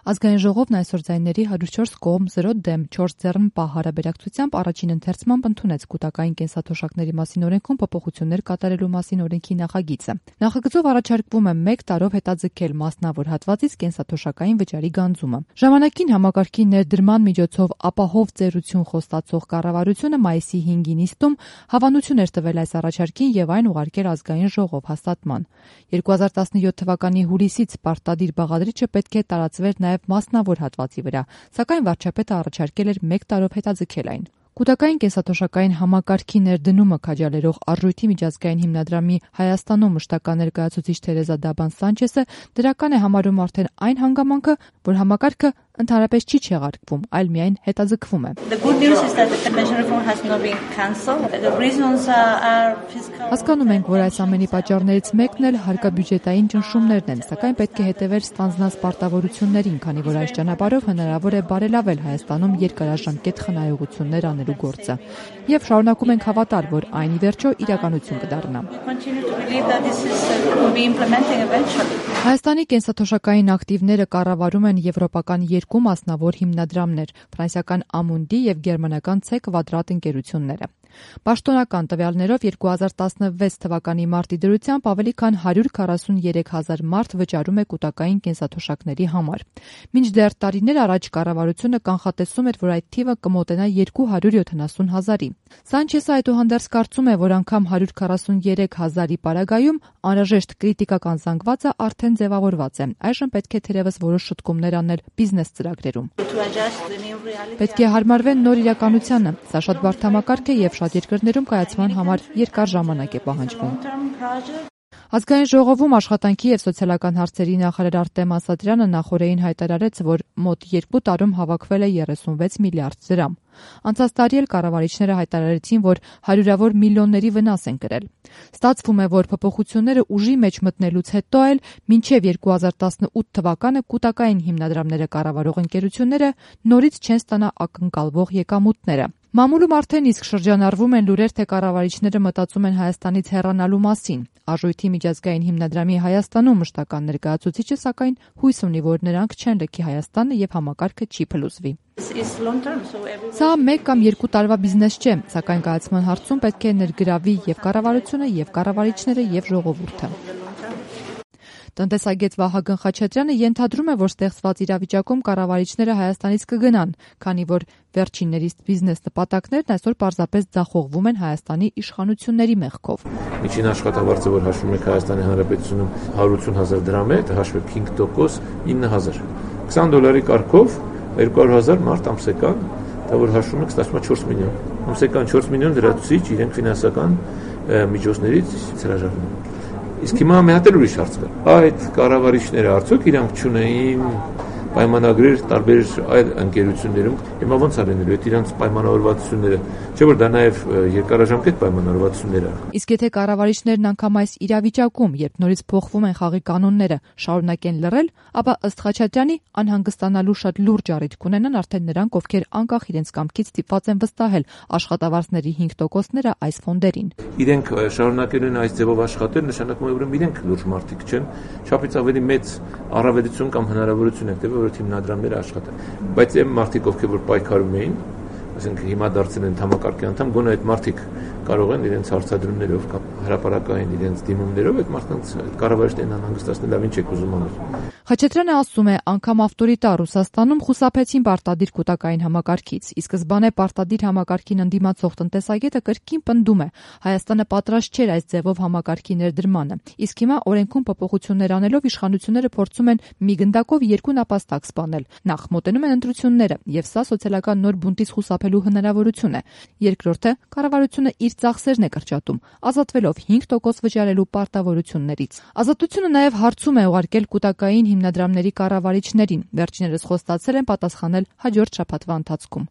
Ազգային ժողովն այսօր ձայների 104 կողմ 0 դեմ 4 ձեռն պահ հարաբերակցությամբ առաջին ընթերցմամբ ընդունեց կուտակային կենսաթոշակների մասին օրենքում փոփոխություններ կատարելու մասին օրենքի նախագիծը։ Նախագծով առաջարկվում է 1 տարով հետաձգել մասնավոր հատվածից կենսաթոշակային վճարի գանձումը։ Ժամանակին համակարգի ներդրման միջոցով ապահով ծերություն խոստացող կառավարությունը մայիսի 5-ին նիստում հավանություն էր տվել այս առաջարկին եւ այն ուղարկել ազգային ժողով հաստատման։ 2017 թվականի հուլիսից պարտադիր բաղադրիչը պետք է տարածվեր նաև մասնավոր հատվածի վրա, սակայն վարչապետը առաջարկել էր 1 տարով հետաձգել այն։ Կուտակային կենսաթոշակային համակարգի ներդնումը քաջալերող արժույթի միջազգային հիմնադրամի Հայաստանում մշտական ներկայացուցիչ Թերեզա Դաբան Սանչեսը դրական է համարում արդեն այն հանգամանքը, որ համակարգը ընդհանրապես չի չեղարկվում, այլ միայն հետաձգվում է։ Հասկանում ենք, որ այս ամենի պատճառներից մեկն էլ հարկաբյուջետային ճնշումներն են, սակայն պետք է հետևել ստանձնած պարտավորություններին, քանի որ այս ճանապարհով հնարավոր է բարելավել Հայաստանում երկարաժամկետ խնայողություններ անելու գործը։ Եվ շարունակում ենք հավատալ, որ այն ի վերջո իրականություն կդառնա։ Հայաստանի կենսաթոշակային ակտիվները կառավարում են եվրոպական երկու մասնավոր հիմնադրամներ՝ ֆրանսիական Amundi եւ գերմանական C Quadrat ընկերությունները։ Պաշտոնական տվյալներով 2016 թվականի մարտի դրությամբ ավելի քան 143,000 մարդ վճարում է կուտակային կենսաթոշակների համար։ Մինչդեռ տարիներ առաջ կառավարությունը կանխատեսում էր, որ այդ թիվը կմոտենա 270,000-ի։ Սանչեսը այդուհանդերձ կարծում է, որ անգամ 143,000-ի պարագայում անհրաժեշտ կրիտիկական զանգվածը արդեն ձևավորված է։ Այժմ պետք է թերևս որոշ շտկումներ անել բիզնես ծրագրերում։ Պետք է հարմարվեն նոր իրականությանը։ Սա շատ բարդ համակարգ է եւ շատ երկրներում կայացման համար երկար ժամանակ է պահանջվում։ Ազգային ժողովում աշխատանքի եւ սոցիալական հարցերի նախարար Արտեմ Ասատրյանը նախորդին հայտարարեց, որ մոտ 2 տարում հավաքվել է 36 միլիարդ դրամ։ Անցած տարի էլ կառավարիչները հայտարարեցին, որ հարյուրավոր միլիոնների վնաս են կրել։ Ստացվում է, որ փոփոխությունները ուժի մեջ մտնելուց հետո էլ մինչև 2018 թվականը կուտակային հիմնադրամները կառավարող ընկերությունները նորից չեն ստանա ակնկալվող եկամուտները։ Մամուլում արդեն իսկ շրջանառվում են լուրեր, թե կառավարիչները մտածում են Հայաստանից հեռանալու մասին։ Արժույթի միջազգային հիմնադրամի Հայաստանում մշտական ներկայացուցիչը սակայն հույս ունի, որ նրանք չեն լքի Հայաստանը եւ համակարգը չի փլուզվի։ Սա 1 կամ 2 տարվա բիզնես չէ, սակայն կայացման հարցում պետք է ներգրավի եւ կառավարությունը, եւ կառավարիչները, եւ ժողովուրդը։ Տնտեսագետ Վահագն Խաչատրյանը ենթադրում է, որ ստեղծված իրավիճակում կառավարիչները Հայաստանից կգնան, քանի որ վերջիններիս բիզնես նպատակներն այսօր պարզապես ձախողվում են Հայաստանի իշխանությունների մեղքով։ Միջին աշխատավարձը, որ հաշվում եք Հայաստանի Հանրապետությունում 180,000 դրամ է, հաշվեք 5%, 9,000։ $20 կարգով 200,000 մարդ ամսեկան, դա որ հաշվում եք, ստացվում է 4 միլիոն։ Ամսեկան 4 միլիոն լրացուցիչ իրենք ֆինանսական միջոցներից հրաժարվում են։ Իսկ հիմա մի հատ էլ ուրիշ հարց կա։ Այդ կառավարիչները արդյոք իրանք չունեին պայմանագրեր տարբեր այլ ընկերություններում, հիմա ոնց արենելու այդ իրանք պայմանավորվածությունները, չէ՞ որ դա նաև երկարաժամկետ պայմանավորվածություններ են։ Իսկ եթե կառավարիչներն անգամ այս իրավիճակում, երբ նորից փոխվում են խաղի կանոնները, շարունակեն լռել, ապա ըստ Խաչատրյանի անհանգստանալու շատ լուրջ առիթ կունենան արդեն նրանք, ովքեր անկախ իրենց կամքից ստիպված են վստահել աշխատավարձների 5%-ները այս ֆոնդերին։ Իրենք շարունակելու են այս ձևով աշխատել, նշանակում է, որ իրենք լուրջ մարդիկ չեն, չափից ավելի մեծ առավելություն կամ հնարավորություն է տվել, որ հիմնադրամները աշխատեն։ Բայց այն մարդիկ, ովքեր որ պայքարում էին, ասենք հիմա դարձել են համակարգի անդամ, գոնե այդ մարդիկ կարող են իրենց հարցադրումներով կամ հրապարակային իրենց դիմումներով այդ մարդկանց կառավարիչներն անհանգստացնել, լավ ինչ եք ուզում անել։ Խաչատրյանը ասում է, անգամ ավտորիտար Ռուսաստանում խուսափեցին պարտադիր կուտակային համակարգից, ի սկզբանե պարտադիր համակարգին ընդդիմացող տնտեսագետը կրկին պնդում է, Հայաստանը պատրաստ չէր այս ձևով համակարգի ներդրմանը, իսկ հիմա օրենքում փոփոխություններ անելով իշխանությունները փորձում են մի գնդակով 2 նապաստակ սպանել։ Նախ մոտենում են ընտրությունները, եւ սա սոցիալական նոր բունտից խուսափելու հնարավորություն է։ Երկրորդը, կառավարությունը իր ծախսերն է կրճատում, ազատվելով 5% վճարելու պարտավորություններից։ Ազատությունը նաև հարցում է ուղարկել կուտակային հիմնադրամների կառավարիչներին։ Վերջիններս խոստացել են պատասխանել հաջորդ շաբաթվա ընթացքում։